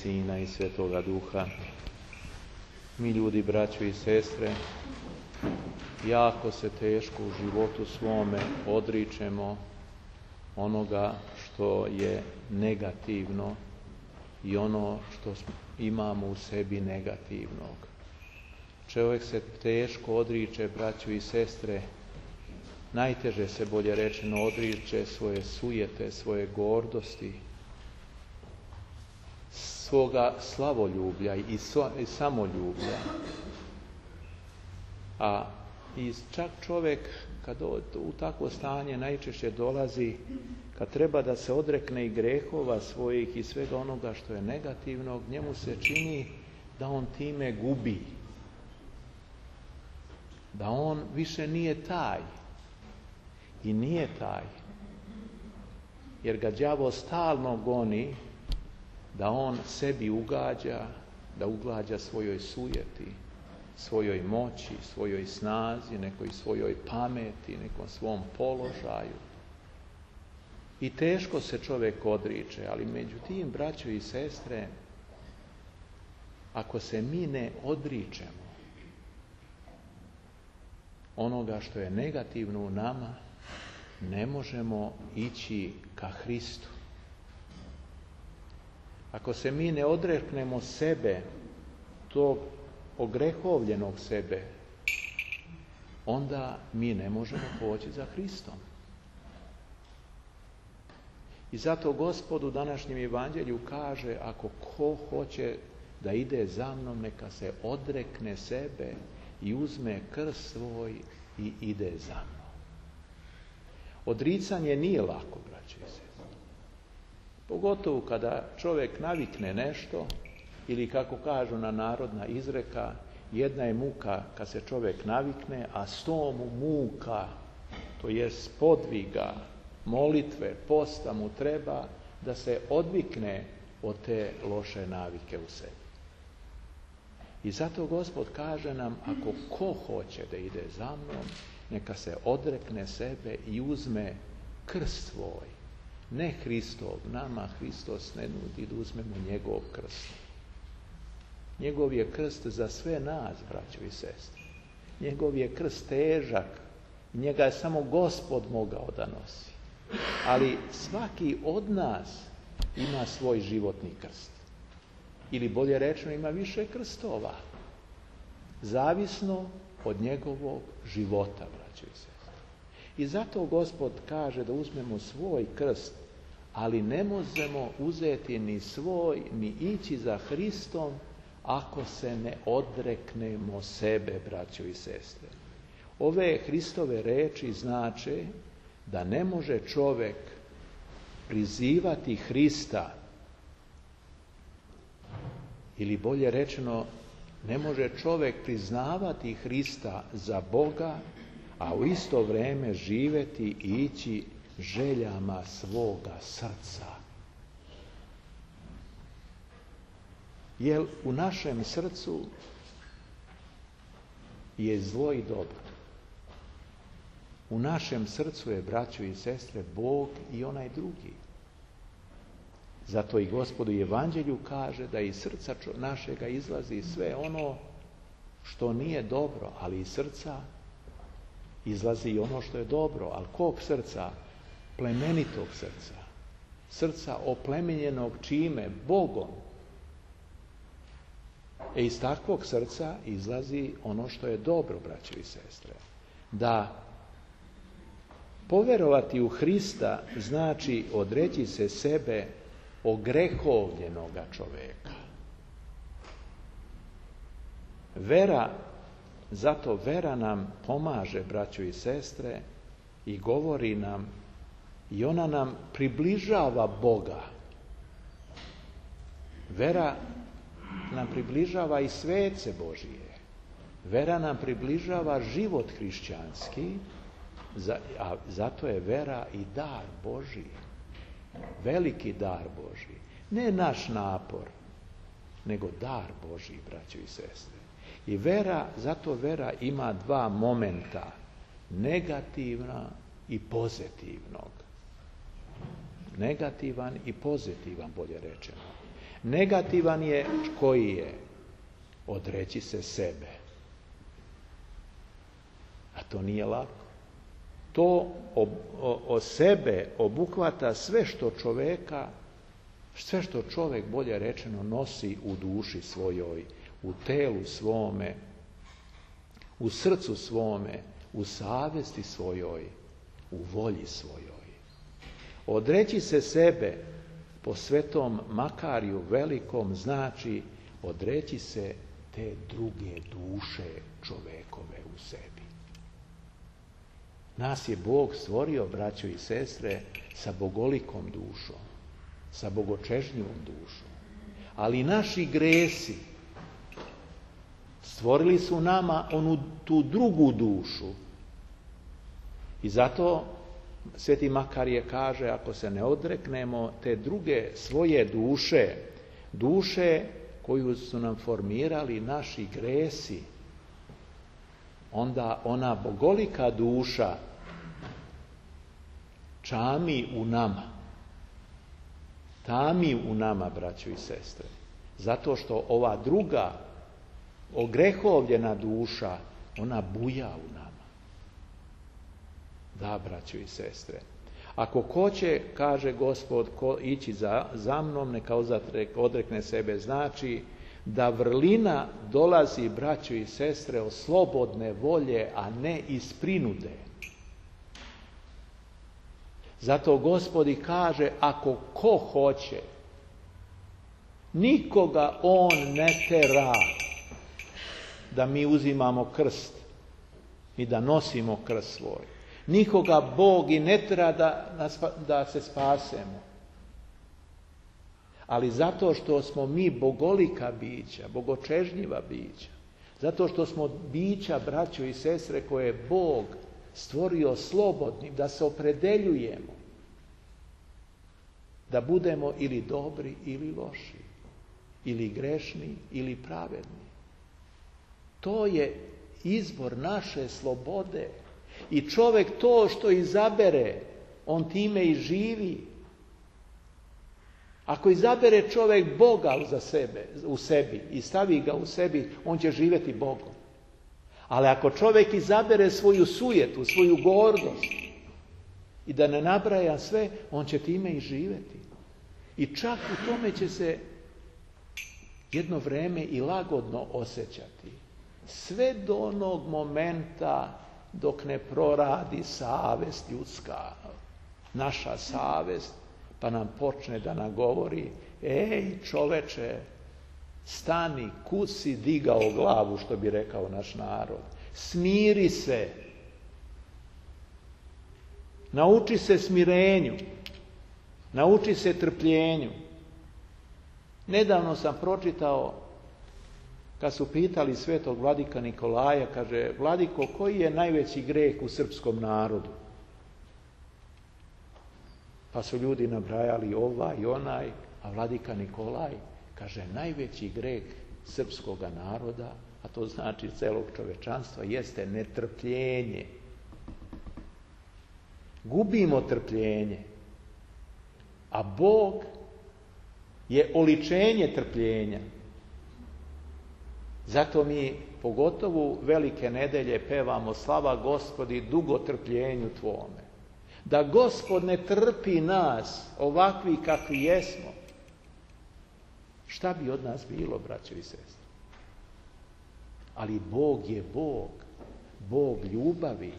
Sina i Svetoga Duha. Mi ljudi, braćo i sestre, jako se teško u životu svome odričemo onoga što je negativno i ono što imamo u sebi negativnog. Čovjek se teško odriče, braćo i sestre, najteže se, bolje rečeno, odriče svoje sujete, svoje gordosti, svoga slavoljublja i samoljublja. A čak čovjek, kad u takvo stanje najčešće dolazi, kad treba da se odrekne i grehova svojih i svega onoga što je negativnog, njemu se čini da on time gubi. Da on više nije taj. I nije taj. Jer ga đavo stalno goni da on sebi ugađa, da ugađa svojoj sujeti, svojoj moći, svojoj snazi, nekoj svojoj pameti, nekom svom položaju. I teško se čovjek odriče, ali međutim, braćo i sestre, ako se mi ne odričemo onoga što je negativno u nama, ne možemo ići ka Hristu. Ako se mi ne odreknemo sebe, tog ogrehovljenog sebe, onda mi ne možemo poći za Hristom. I zato Gospod u današnjem evanđelju kaže, ako ko hoće da ide za mnom, neka se odrekne sebe i uzme krst svoj i ide za mnom. Odricanje nije lako, braćo i sestre. Pogotovo kada čovjek navikne nešto, ili kako kažu na narodna izreka, jedna je muka kad se čovjek navikne, a 100 mu muka, to jest podviga, molitve, posta mu treba da se odvikne od te loše navike u sebi. I zato Gospod kaže nam, ako ko hoće da ide za mnom, neka se odrekne sebe i uzme krst svoj. Ne Hristov, nama Hristos ne nudi da uzmemo njegov krst. Njegov je krst za sve nas, braćo i sestre. Njegov je krst težak. Njega je samo Gospod mogao da nosi. Ali svaki od nas ima svoj životni krst. Ili bolje rečeno, ima više krstova. Zavisno od njegovog života, braćo i sestre. I zato Gospod kaže da uzmemo svoj krst, ali ne možemo uzeti ni svoj, ni ići za Hristom, ako se ne odreknemo sebe, braćo i sestre. Ove Hristove reči znače da ne može čovjek prizivati Hrista, ili bolje rečeno, ne može čovjek priznavati Hrista za Boga, a u isto vrijeme živjeti i ići željama svoga srca. Jer u našem srcu je zlo i dobro. U našem srcu je, braćo i sestre, Bog i onaj drugi. Zato i Gospod u Evanđelju kaže da iz srca našega izlazi sve ono što nije dobro, ali iz srca izlazi i ono što je dobro. Ali kog srca? Plemenitog srca. Srca oplemenjenog čime? Bogom. Iz takvog srca izlazi ono što je dobro, braćo i sestre. Da poverovati u Hrista znači odreći se sebe ogrehovljenoga čovjeka. Zato vera nam pomaže, braćo i sestre, i govori nam, i ona nam približava Boga. Vera nam približava i svece Božije. Vera nam približava život hrišćanski, a zato je vera i dar Božiji. Veliki dar Božiji. Ne naš napor, nego dar Božiji, braćo i sestre. I zato vera ima dva momenta, negativna i pozitivnog. Negativan i pozitivan, bolje rečeno. Negativan je koji je odreći se sebe. A to nije lako. To o sebe obuhvata sve što čovjek, bolje rečeno, nosi u duši svojoj, u telu svome, u srcu svome, u savjesti svojoj, u volji svojoj. Odreći se sebe po Svetom Makariju Velikom znači odreći se te druge duše čovekove u sebi. Nas je Bog stvorio, braćo i sestre, sa bogolikom dušom, sa bogočežnjivom dušom. Ali naši gresi stvorili su nama tu drugu dušu. I zato Sveti Makarije kaže, ako se ne odreknemo te druge svoje duše koju su nam formirali naši gresi, onda ona bogolika duša čami u nama. Tami u nama, braćo i sestre. Zato što ova druga, ogrehovljena duša, ona buja u nama. Da, braćo i sestre. Ako hoće, kaže Gospod, ići za mnom, neka odrekne sebe, znači da vrlina dolazi, braćo i sestre, od slobodne volje, a ne iz prinude. Zato Gospod i kaže, ako ko hoće, nikoga on ne tera da mi uzimamo krst i da nosimo krst svoj. Nikoga Bog i ne tera da se spasemo. Ali zato što smo mi bogolika bića, bogočežnjiva bića, zato što smo bića, braćo i sestre, koje je Bog stvorio slobodnim, da se opredeljujemo, da budemo ili dobri ili loši, ili grešni ili pravedni. To je izbor naše slobode. I čovjek to što izabere, on time i živi. Ako izabere čovjek Boga u sebi i stavi ga u sebi, on će živjeti Bogom. Ali ako čovjek izabere svoju sujetu, svoju gordost i da ne nabraja sve, on će time i živjeti. I čak u tome će se jedno vrijeme i lagodno osjećati. Sve do onog momenta dok ne proradi savest ljudska, naša savest, pa nam počne da nam govori, ej čoveče, stani, kud si digao glavu, što bi rekao naš narod. Smiri se. Nauči se smirenju. Nauči se trpljenju. Nedavno sam pročitao, kad su pitali svetog vladika Nikolaja, kaže, vladiko, koji je najveći greh u srpskom narodu? Pa su ljudi nabrajali ovaj i onaj, a vladika Nikolaj kaže, najveći greh srpskoga naroda, a to znači celog čovečanstva, jeste netrpljenje. Gubimo trpljenje, a Bog je oličenje trpljenja. Zato mi, pogotovo velike nedelje, pevamo slava Gospodi dugo trpljenju Tvome. Da Gospod ne trpi nas ovakvi kakvi jesmo, šta bi od nas bilo, braćo i sestre? Ali Bog je Bog, Bog ljubavi.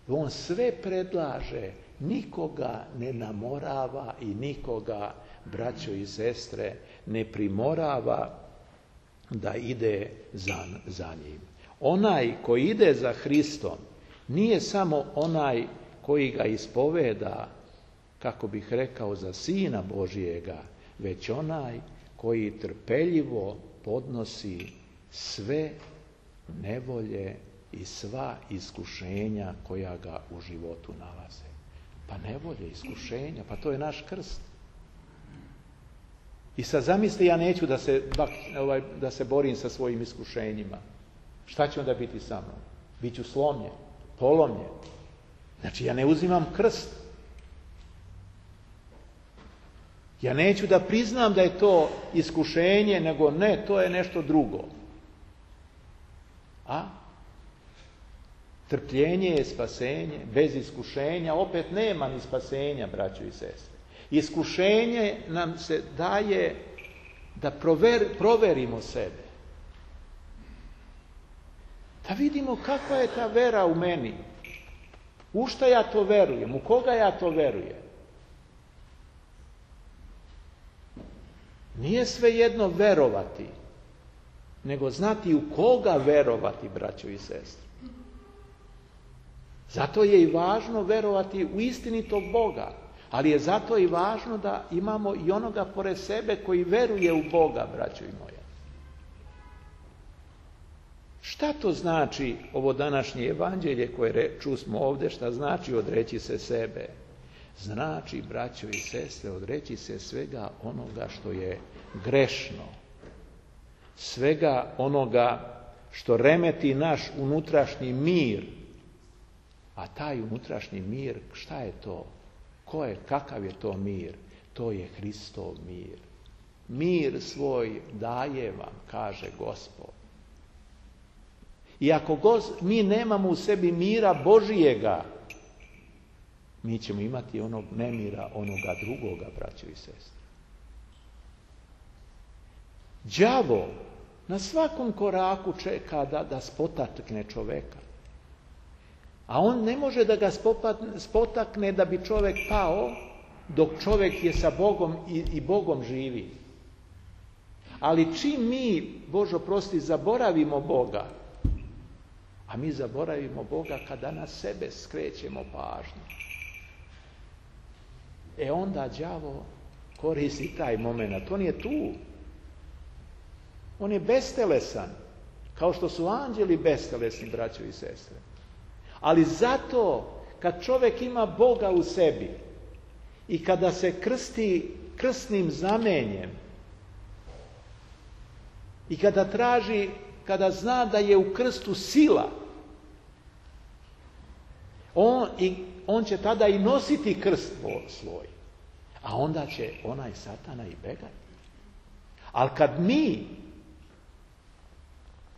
On sve predlaže, nikoga ne namorava i nikoga, braćo i sestre, ne primorava da ide za njim. Onaj koji ide za Hristom nije samo onaj koji ga ispoveda, kako bih rekao, za Sina Božijega, već onaj koji trpeljivo podnosi sve nevolje i sva iskušenja koja ga u životu nalaze. Pa nevolje, iskušenja, pa to je naš krst. I sad zamisli, ja neću da se borim sa svojim iskušenjima. Šta će onda biti sa mnom? Biću slomljen, polomljen. Znači, ja ne uzimam krst. Ja neću da priznam da je to iskušenje, nego ne, to je nešto drugo. A trpljenje je spasenje, bez iskušenja opet nema ni spasenja, braćo i sestre. Iskušenje nam se daje da proverimo sebe. Da vidimo kakva je ta vera u meni. U šta ja to verujem, u koga ja to verujem. Nije svejedno verovati, nego znati u koga verovati, braćo i sestre. Zato je i važno verovati u istinitog Boga, ali je zato i važno da imamo i onoga pored sebe koji veruje u Boga, braćo i moja. Šta to znači ovo današnje evanđelje koje čusmo ovdje, šta znači odreći se sebe? Znači, braćo i sestre, odreći se svega onoga što je grešno, svega onoga što remeti naš unutrašnji mir. A taj unutrašnji mir, šta je to? Kakav je to mir? To je Hristov mir. Mir svoj daje vam, kaže Gospod. I ako mi nemamo u sebi mira Božijega, mi ćemo imati onog nemira, onoga drugoga, braćo i sestre. Đavo na svakom koraku čeka da spotakne čoveka. A on ne može da ga spotakne da bi čovjek pao dok čovjek je sa Bogom i Bogom živi. Ali čim mi, Bože oprosti, zaboravimo Boga, a mi zaboravimo Boga kada na sebe skrećemo pažnju, onda đavo koristi taj moment. On je tu. On je bestelesan, kao što su anđeli bestelesni, braćo i sestre. Ali zato, kad čovjek ima Boga u sebi i kada se krsti krstnim znamenjem i kada zna da je u krstu sila, on će tada i nositi krst svoj. A onda će onaj satana i begati. Ali kad mi,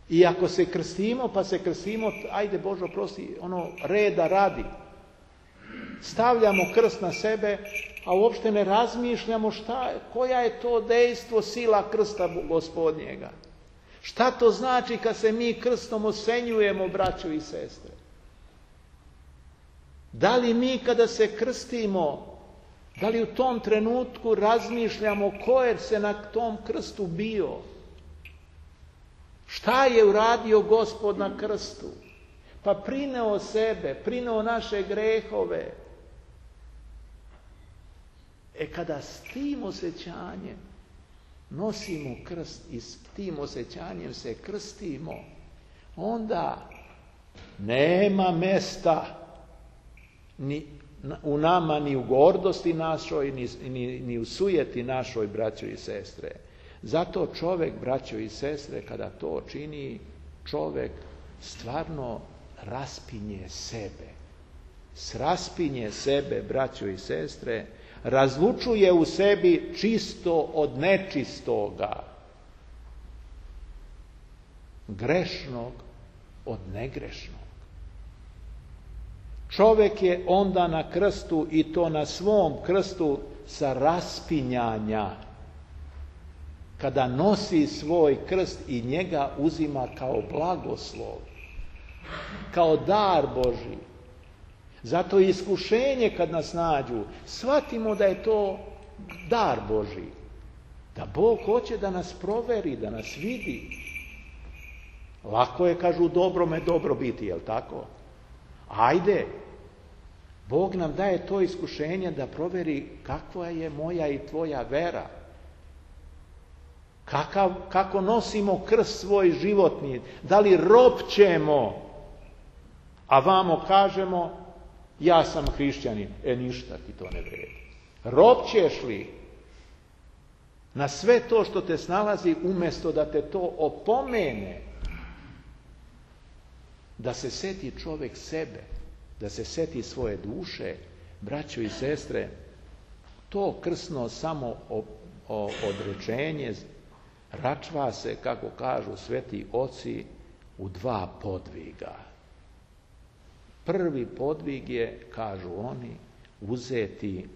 i ako se krstimo, pa se krstimo, ajde Bože oprosti, reda radi. Stavljamo krst na sebe, a uopšte ne razmišljamo koja je to dejstvo, sila krsta Gospodnjega. Šta to znači kad se mi krstom osenjujemo, braćo i sestre? Da li mi kada se krstimo, da li u tom trenutku razmišljamo ko je se na tom krstu bio? Šta je uradio Gospod na krstu? Pa prineo sebe, prineo naše grehove. Kada s tim osjećanjem nosimo krst i s tim osjećanjem se krstimo, onda nema mesta ni u nama, ni u gordosti našoj, ni u sujeti našoj, braćo i sestre. Zato čovjek, braćo i sestre, kada to čini, čovjek stvarno raspinje sebe. Raspinje sebe, braćo i sestre, razlučuje u sebi čisto od nečistoga, grešnog od negrešnog. Čovjek je onda na krstu, i to na svom krstu sa raspinjanja, kada nosi svoj krst i njega uzima kao blagoslov, kao dar Božji. Zato iskušenje kad nas nađu, shvatimo da je to dar Božji. Da Bog hoće da nas proveri, da nas vidi. Lako je, kažu, dobrome dobro biti, jel tako? Ajde, Bog nam daje to iskušenje da proveri kakva je moja i tvoja vera. Kako nosimo krst svoj životni, da li ropćemo, a vamo kažemo ja sam hrišćanin, ništa ti to ne vredi. Ropćeš li na sve to što te snalazi, umjesto da te to opomene, da se seti čovjek sebe, da se seti svoje duše, braćo i sestre, To krsno samo odrečenje račva se, kako kažu sveti oci, u 2 podviga. Prvi podvig je, kažu oni, uzeti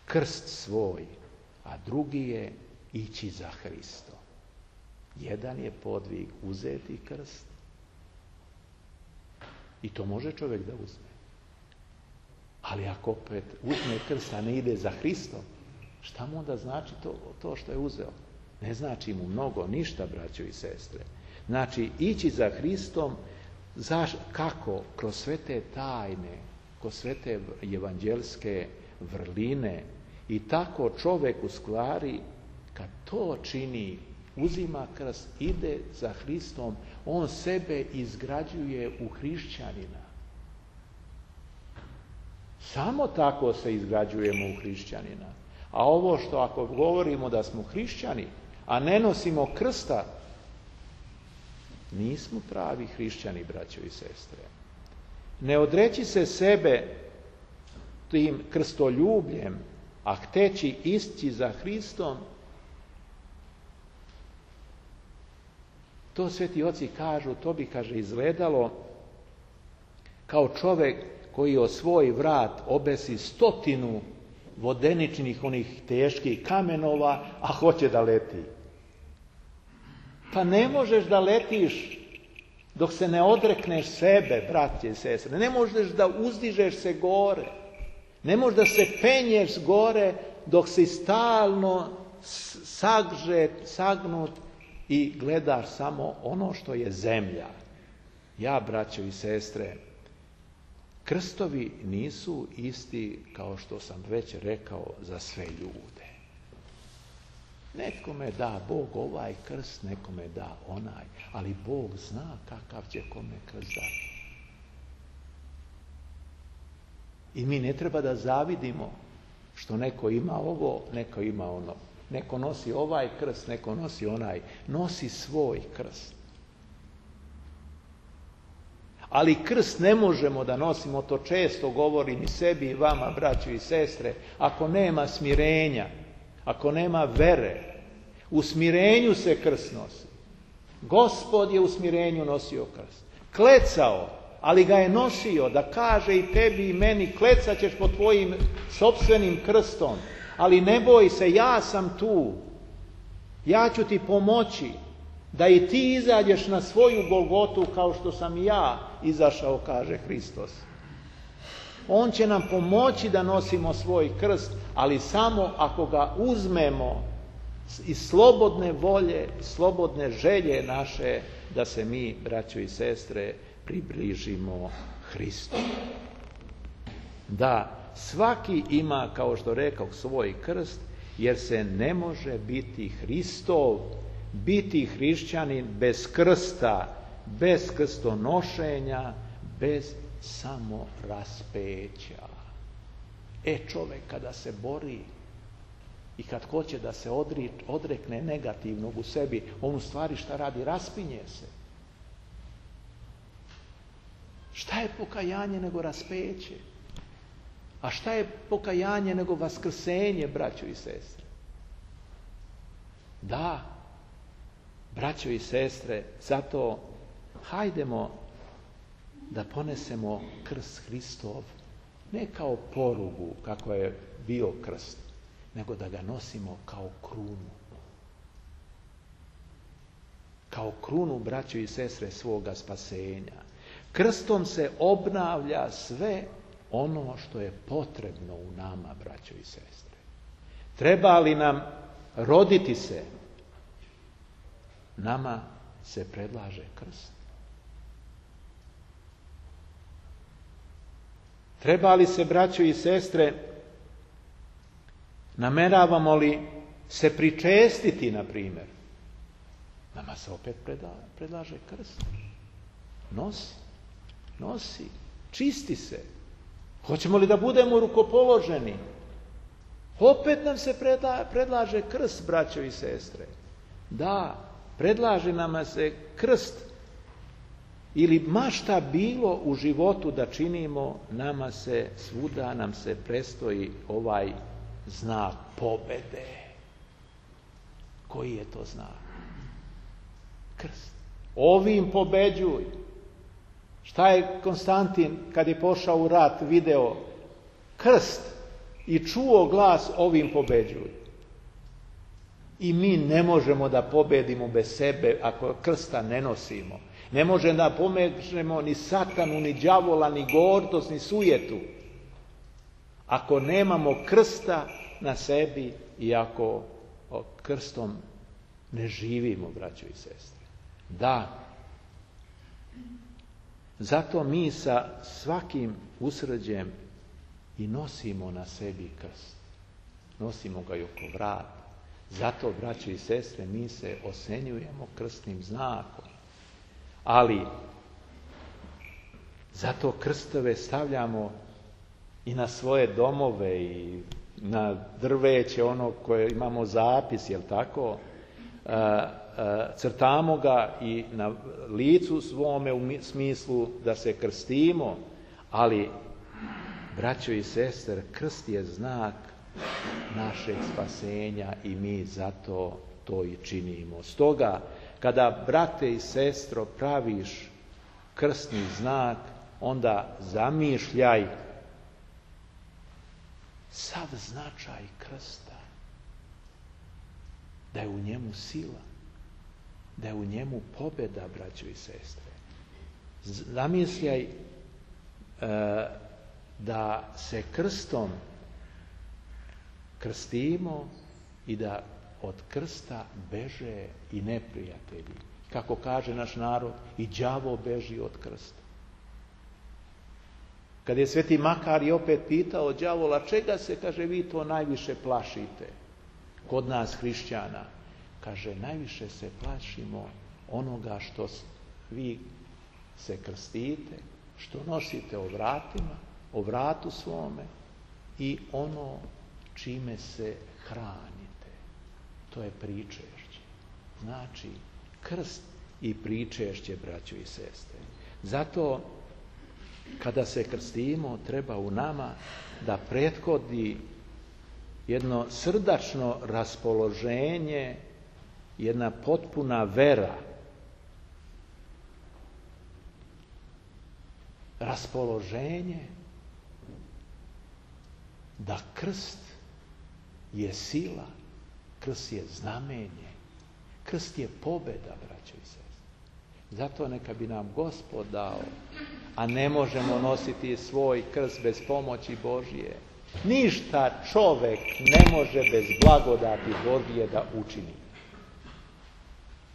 krst svoj, a drugi je ići za Hristom. Jedan je podvig uzeti krst i to može čovjek da uzme. Ali ako opet uzme krst, a ne ide za Hristom, šta mu onda znači to što je uzeo? Ne znači mu mnogo, ništa, braćo i sestre. Znači, ići za Hristom, kako? Kroz sve te tajne, kroz sve te evanđelske vrline. I tako čovjek u stvari, kad to čini, uzima krst, ide za Hristom, on sebe izgrađuje u hrišćanina. Samo tako se izgrađujemo u hrišćanina. A ovo što ako govorimo da smo hrišćani, a ne nosimo krsta, nismo pravi hrišćani, braćo i sestre. Ne odreći se sebe tim krstoljubljem, a hteći ići za Hristom, to sveti oci kažu, to bi, kaže, izgledalo kao čovjek koji o svoj vrat obesi 100 vodeničnih onih teških kamenova, a hoće da leti. Pa ne možeš da letiš dok se ne odrekneš sebe, braće i sestre. Ne možeš da uzdižeš se gore. Ne možeš da se penješ gore dok si stalno sagnut i gledaš samo ono što je zemlja. Ja, braćo i sestre, krstovi nisu isti, kao što sam već rekao, za sve ljude. Nekome da Bog ovaj krst, nekome da onaj, ali Bog zna kakav će kome krst dati. I mi ne treba da zavidimo što neko ima ovo, neko ima ono. Neko nosi ovaj krst, neko nosi onaj. Nosi svoj krst. Ali krst ne možemo da nosimo, to često govorim i sebi i vama, braćo i sestre, ako nema smirenja, ako nema vere. U smirenju se krst nosi. Gospod je u smirenju nosio krst. Klecao, ali ga je nosio da kaže i tebi i meni, klecat ćeš pod tvojim sopstvenim krstom, ali ne boj se, ja sam tu. Ja ću ti pomoći da i ti izađeš na svoju Golgotu kao što sam i ja izašao, kaže Hristos. On će nam pomoći da nosimo svoj krst, ali samo ako ga uzmemo iz slobodne volje, slobodne želje naše, da se mi, braćo i sestre, približimo Hristu. Da, svaki ima, kao što rekao, svoj krst, jer se ne može biti Hristov, biti hrišćanin bez krsta, bez krstonošenja, bez samoraspeća. Čovjek kada se bori i kad hoće da se odrekne negativnog u sebi, on u stvari šta radi? Raspinje se. Šta je pokajanje nego raspeće? A šta je pokajanje nego vaskrsenje, braćo i sestre? Da, braćo i sestre, zato hajdemo da ponesemo krst Hristov, ne kao porugu, kako je bio krst, nego da ga nosimo kao krunu. Kao krunu, braćo i sestre, svoga spasenja. Krstom se obnavlja sve ono što je potrebno u nama, braćo i sestre. Treba li nam roditi se? Nama se predlaže krst. Treba li se, braćo i sestre, nameravamo li se pričestiti, na primjer? Nama se opet predlaže krst. Nosi, čisti se. Hoćemo li da budemo rukopoloženi? Opet nam se predlaže krst, braćo i sestre. Da, predlaže nam se krst, ili ma šta bilo u životu da činimo, nama se svuda predstoji ovaj znak pobede. Koji je to znak? Krst. Ovim pobeđuj. Šta je Konstantin kad je pošao u rat video? Krst i čuo glas ovim pobeđuj. I mi ne možemo da pobedimo bez sebe ako krsta ne nosimo. Ne možemo da pomežemo ni satanu, ni đavola, ni gordost, ni sujetu. Ako nemamo krsta na sebi i ako krstom ne živimo, braćo i sestre. Da. Zato mi sa svakim usrđem i nosimo na sebi krst. Nosimo ga i oko vrata. Zato, braćo i sestre, mi se osenjujemo krstnim znakom. Ali, zato krstove stavljamo i na svoje domove i na drveće, ono koje imamo zapis, jel tako? Crtamo ga i na licu svome u smislu da se krstimo, ali, braćo i sestre, krst je znak našeg spasenja i mi zato to i činimo. Stoga, kada, brate i sestro, praviš krstni znak, onda zamišljaj sav značaj krsta. Da je u njemu sila, da je u njemu pobjeda, braćo i sestre. Zamišljaj da se krstom krstimo i da od krsta beže i neprijatelji. Kako kaže naš narod, i đavo beži od krsta. Kad je sveti Makar opet pitao đavola, čega se, kaže, vi to najviše plašite kod nas hrišćana? Kaže, najviše se plašimo onoga što vi se krstite, što nosite o vratu svome i ono čime se hranite. To je pričešće. Znači, krst i pričešće, braćo i sestre. Zato, kada se krstimo, treba u nama da prethodi jedno srdačno raspoloženje, jedna potpuna vera. Raspoloženje da krst je sila, krst je znamenje, krst je pobjeda, braćo i sestre. Zato neka bi nam Gospod dao, a ne možemo nositi svoj krst bez pomoći Božje. Ništa čovek ne može bez blagodati Božje da učini.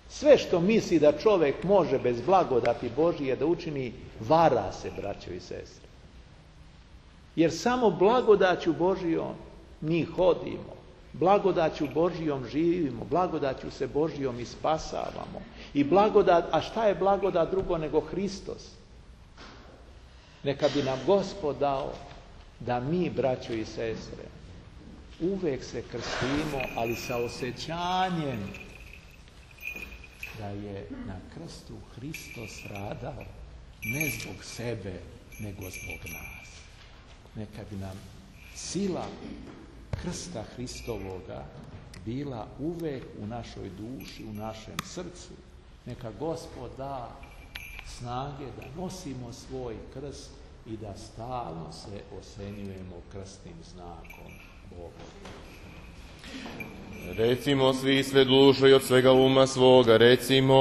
Sve što misli da čovek može bez blagodati Božje da učini, vara se, braćo i sestre. Jer samo blagodaću Božjom mi hodimo, blagodaću Božjom živimo, blagodaću se Božjom i spasavamo. I blagodat, a šta je blagodat drugo nego Hristos? Neka bi nam Gospod dao da mi, braćo i sestre, uvek se krstimo, ali sa osjećanjem da je na krstu Hristos stradao ne zbog sebe, nego zbog nas. Neka bi nam sila krsta Hristovoga bila uvek u našoj duši, u našem srcu. Neka Gospod da snage da nosimo svoj krst i da stalno se osenjujemo krstnim znakom Boga. Recimo svi sve dušo i od svega uma svoga, recimo